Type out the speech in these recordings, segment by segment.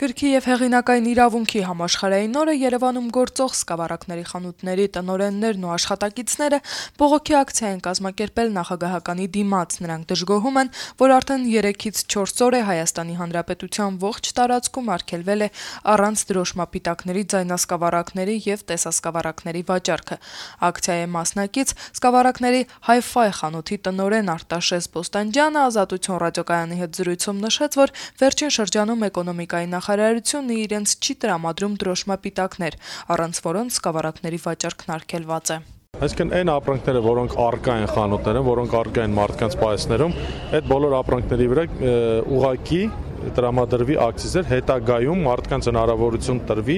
Գրքի եւ հեղինակային իրավունքի համաշխարհային օրը Երևանում գործող սկավառակների խանութների տնօրեններն ու աշխատակիցները բողոքի ակցիա են կազմակերպել նախագահականի դիմաց. Նրանք դժգոհում են, որ արդեն 3-ից 4 օր է Հայաստանի Հանրապետության ողջ տարածքում արգելվել է առանց դրոշմապիտակների ձայնասկավառակների եւ տեսասկավառակների վաճառքը։ Ակցիայի մասնակից սկավառակների Hi-Fi խանութի տնօրեն Արտաշես Բոստանջյանը Ազատություն ռադիոկայանի հետ զրույցում նշեց, որ վերջին շրջանում էկոնոմիկայի նախարարությունը իրենց չի տրամադրում դրոշմապիտակներ, առանց որոնց սկավառակների վաճառքն արգելված է։ Այսինքն այն ապրանքները, որոնք առկա են խանութներում, որոնք առկա են մարդկանց պայեսներում, այդ բոլոր ապրանքների վրա ուղղակի տրամադրվի ակցիզեր, հետագայում մարդկանց հնարավորություն տրվի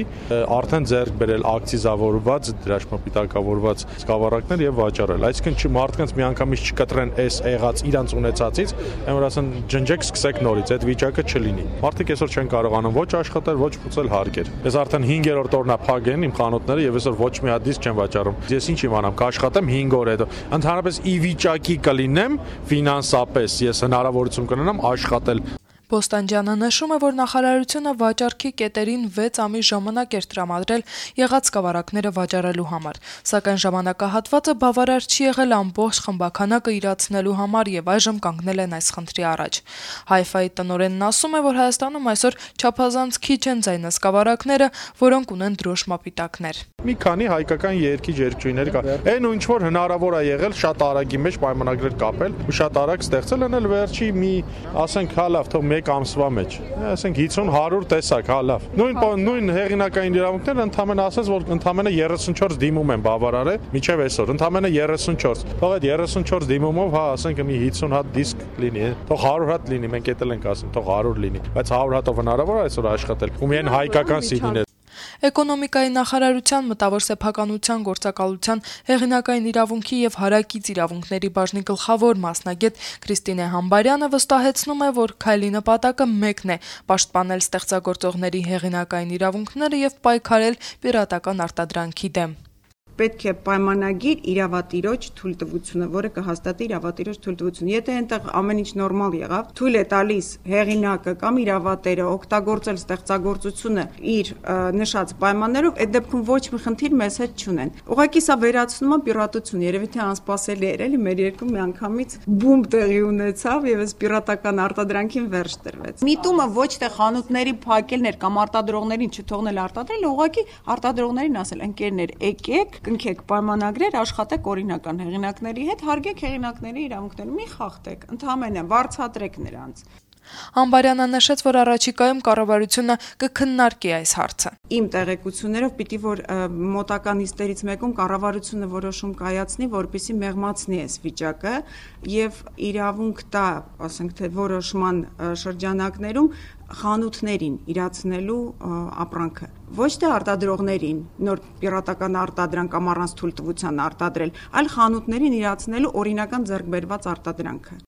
արդեն ձեռք բերել ակցիզավորված, դրոշմապիտակավորված սկավառակներ եւ վաճառել։ Այսինքն մարդկանց միանգամից չկտրեն այս եղած իրանց ունեցածից, այն որ ասեն ջնջեք, սկսեք նորից, այդ վիճակը չլինի։ Մարդիկ այսօր չեն կարողանում ոչ աշխատել, ոչ փուծել հարկեր։ Ես արդեն 5-րդ օրն է փակ են իմ խանութները եւ այսօր ոչ մի հատ դիսկ չեմ վաճառում։ Ես ինչ իմանամ, կաշխատեմ 5 օր հետո։ Ընդհանրապես ի վիճակի կլինեմ ֆինանսապես, ես հնարավորություն կունենամ աշխատել։ Բոստանջյանը նշում է, որ նախարարությունը վաճառքի կետերին 6 ամիս ժամանակ էր տրամադրել եղած սկավառակները վաճառելու համար, սակայն ժամանակահատվածը բավարար չի եղել ամբողջ խմբաքանակը իրացնելու համար եւ այժմ կանգնել են այս խնդրի առաջ։ Hi-Fi տնօրենն ասում է, որ Հայաստանում այսօր չափազանց քիչ են ձայնասկավառակները, որոնք ունեն դրոշմապիտակներ։ Մի քանի հայկական երկրներ կա։ Այն ու ինչ որ հնարավոր է եղել շատ արագի մեջ պայմանագրեր կապել ու շատ արագ ստեղծել են էլ վերջի մի ասենք հա լավ թող 1 ամսվա մեջ, ասենք 50-100 տեսակ, հա լավ։ Նույն հեղինակային իրավունքները ընդամենը ասած, որ ընդամենը 34 դիմում են բավարար է, մինչև այսօր, ընդամենը 34։ Թող այդ 34 դիմումով, հա, ասենք մի 50 հատ դիսկ լինի, թող 100 հատ լինի, մենք էդ էլ ենք ասում, թող 100 լինի, բայց 100 հատով հնարավոր է այսօր աշխատել։ Ու միայն հայկական CD-ներ։ Էկոնոմիկայի նախարարության մտավոր սեփականության գործակալության հեղինակային իրավունքի եւ հարակից իրավունքների բաժնի գլխավոր մասնագետ Քրիստինե Համբարյանը վստահեցնում է, որ քայլի նպատակը մեկն է՝ պաշտպանել ստեղծագործողների հեղինակային իրավունքները եւ պայքարել պիրատական արտադրանքի դեմ։ Պետք է պայմանագիր իրավատիրոջ թույլտվությունը, որը կհաստատի իրավատիրոջ թույլտվությունը։ Եթե այնտեղ ամեն ինչ նորմալ եղավ, թույլ է տալիս հեղինակը կամ իրավատերը օգտագործել ստեղծագործությունը իր նշած պայմաններով, այդ դեպքում ոչ մի խնդիր մեզ հետ չունեն։ Ուղղակի սա վերացնում է պիրատություն, երևի թե անսպասելի էր, էլի մեր երկրում միանգամից բում տեղի ունեցավ եւ այս պիրատական արտադրանքին վերջ տրվեց։ Միտումը ոչ թե խանութների փակելն էր կամ արտադրողներին չթողնել արտադրել, ուղղակի արտադրողներին ասել՝ ընկերներ, եկեք կնքեք պայմանագրեր, աշխատեք օրինական հեղինակների հետ, հարգեք հեղինակների իրավունքները, մի խախտեք, ընդհանրապես վարձատրեք նրանց։ Համբարյանը նշեց, որ առաջիկայում կառավարությունը կքննարկի այս հարցը։ Իմ տեղեկություններով պիտի որ մոտակա նիստերից մեկում կառավարությունը որոշում կայացնի, որպեսզի մեղմացնի այս վիճակը եւ իրավունք տա, ասենք թե որոշման շրջանակներում խանութներին իրացնելու ապրանքը, ոչ թե արտադրողներին նոր պիրատական արտադրանք կամ առանց թույլտվության արտադրել, այլ խանութներին իրացնելու օրինական ձեռքբերված արտադրանքը։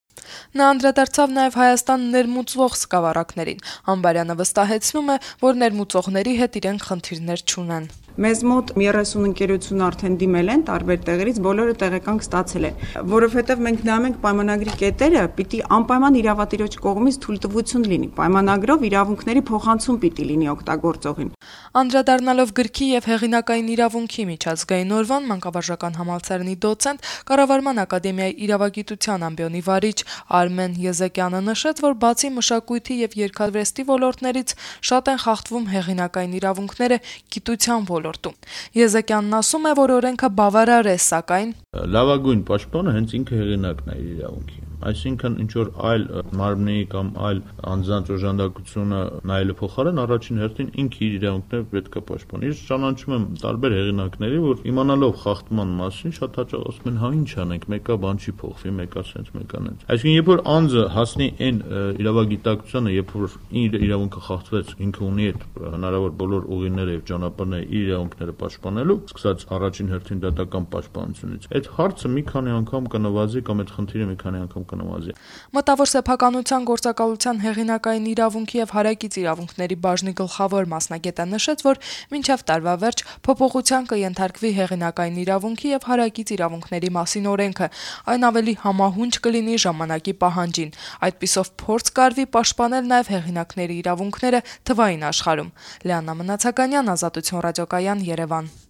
Նա անդրադարձավ նաև Հայաստան ներմուծվող սկավառակներին։ Համբարյանը վստահեցնում է, որ ներմուծողների հետ իրենք խնդիրներ չունեն։ Մեզ մոտ 30 ընկերություն արդեն դիմել են տարբեր տեղերից, բոլորը տեղեկանք ստացել են, որովհետև մենք նայում ենք պայմանագրի կետերը, պիտի անպայման իրավատիրոջ կողմից թույլտվություն լինի, պայմանագրով իրավունքների փոխանցում պիտի լինի օգտագործողին։ Անդրադառնալով գրքի եւ հեղինակային իրավունքի միջազգային օրվան մանկավարժական համալսարանի դոցենտ, Կառավարման ակադեմիայի իրավագիտության ամբիոնի վարիչ Արմեն Եզեկյանը նշեց, որ բացի մշակույթի եւ երգարվեստի ոլորտներից շատ են խախտվում հեղինակային իրավունքները գիտության ոլորտում։ Եզեկյանն ասում է, որ օրենքը բավարար է, սակայն լավագույն պաշտպանը հենց ինքը հեղինակն է իր իրավունքի։ Այսինքն ինչ որ այլ մարմնի կամ այլ անձանց օժանդակությունը նայելու փոխարեն առաջին հերթին ինքը իր իրավունքները պետք է պաշտպանի։ Ես ճանաչում եմ տարբեր հեղինակների, որ իմանալով խախտման մասին շատ հաճախ ասում են, հա ինչ անենք, մեկը բան չի փոխվի, մեկը սենց, մեկը նենց։ Այսինքն երբ որ անձը հասնի այն իրավագիտակցությանը, երբ որ իր իրավունքը խախտվեց, ինքը ունի այդ հնարավոր բոլոր ուղիները եւ ճանապարհները իր իրավունքները պաշտպանելու, սկսած առաջին հերթին դատական պաշտպանությունից։ Այդ հարցը մի քանի անգամ կնվազի կամ այդ խնդիրը մի քանի անգամ նվազի։ Մտավոր սեփականության գործակալության հեղինակային իրավունքի եւ հարակից իրավունքների բաժնի գլխավոր մասնագետը նշեց, որ մինչեւ տարվա վերջ փոփոխության կենթարկվի հեղինակային իրավունքի եւ հարակից իրավունքների մասին օրենքը, այն ավելի համահունչ կլինի ժամանակի պահանջին։ Այդպիսով փորձ կարվի պաշտպանել նաեւ հեղինակների իրավունքները թվային աշխարհում։ Լիաննա Մնացականյան, Ազատություն ռադիոկայան, Երևան։